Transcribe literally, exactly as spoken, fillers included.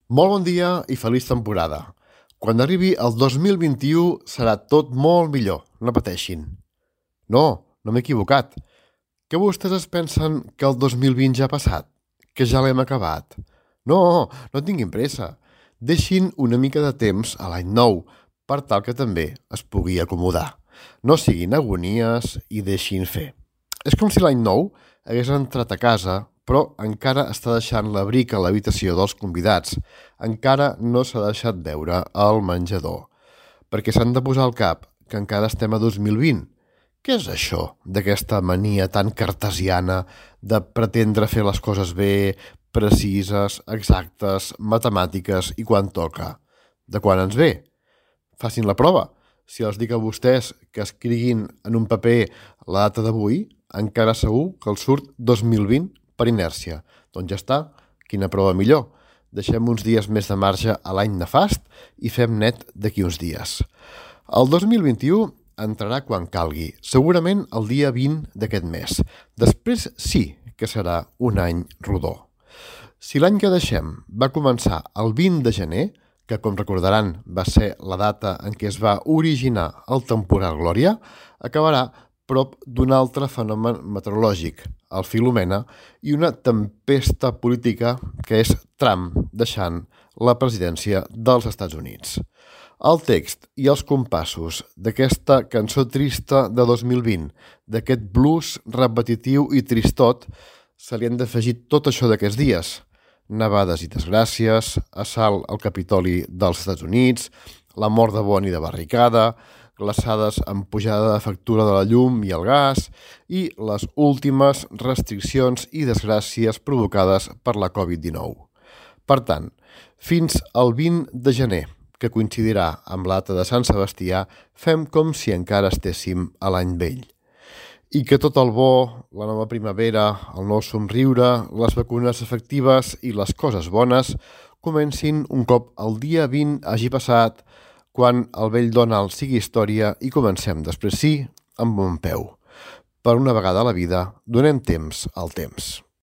Molt bon dia i feliç temporada. Quan arribi el dos mil vint-i-u serà tot molt millor, no pateixin. No, no m'he equivocat. Que vostès es pensen que el dos mil vint ja ha passat? Que ja l'hem acabat? No, no tinguin pressa. Deixin una mica de temps a l'any nou, per tal que també es pugui acomodar. No siguin agonies i deixin fer. És com si l'any nou hagués entrat a casa, però encara està deixant l'abric a l'habitació dels convidats. Encara no s'ha deixat veure al menjador. Perquè s'han de posar al cap que encara estem a dos mil vint. Què és això d'aquesta mania tan cartesiana de pretendre fer les coses bé, precises, exactes, matemàtiques i quan toca? De quan ens ve? Facin la prova. Si els dic a vostès que escriguin en un paper la data d'avui, encara segur que els surt dos mil vint per inèrcia. Doncs ja està, quina prova millor. Deixem uns dies més de marge a l'any nefast i fem net d'aquí uns dies. El dos mil vint-i-u entrarà quan calgui, segurament el dia vint d'aquest mes. Després sí que serà un any rodó. Si l'any que deixem va començar el vint de gener, que com recordaran va ser la data en què es va originar el temporal Glòria, acabarà prop d'un altre fenomen meteorològic, el Filomena, i una tempesta política que és Trump deixant la presidència dels Estats Units. El text i els compassos d'aquesta cançó trista de dos mil vint, d'aquest blues repetitiu i tristot, se li han d'afegir tot això d'aquests dies. Nevades i desgràcies, assalt al Capitoli dels Estats Units, la mort de Bonnie de Barricada, glaçades amb pujada de factura de la llum i el gas i les últimes restriccions i desgràcies provocades per la covid dinou. Per tant, fins al vint de gener, que coincidirà amb la data de Sant Sebastià, fem com si encara estéssim a l'any vell. I que tot el bo, la nova primavera, el nou somriure, les vacunes efectives i les coses bones comencin un cop el dia vint hagi passat, quan el vell Donald sigui història i comencem després sí amb bon peu. Per una vegada a la vida, donem temps al temps.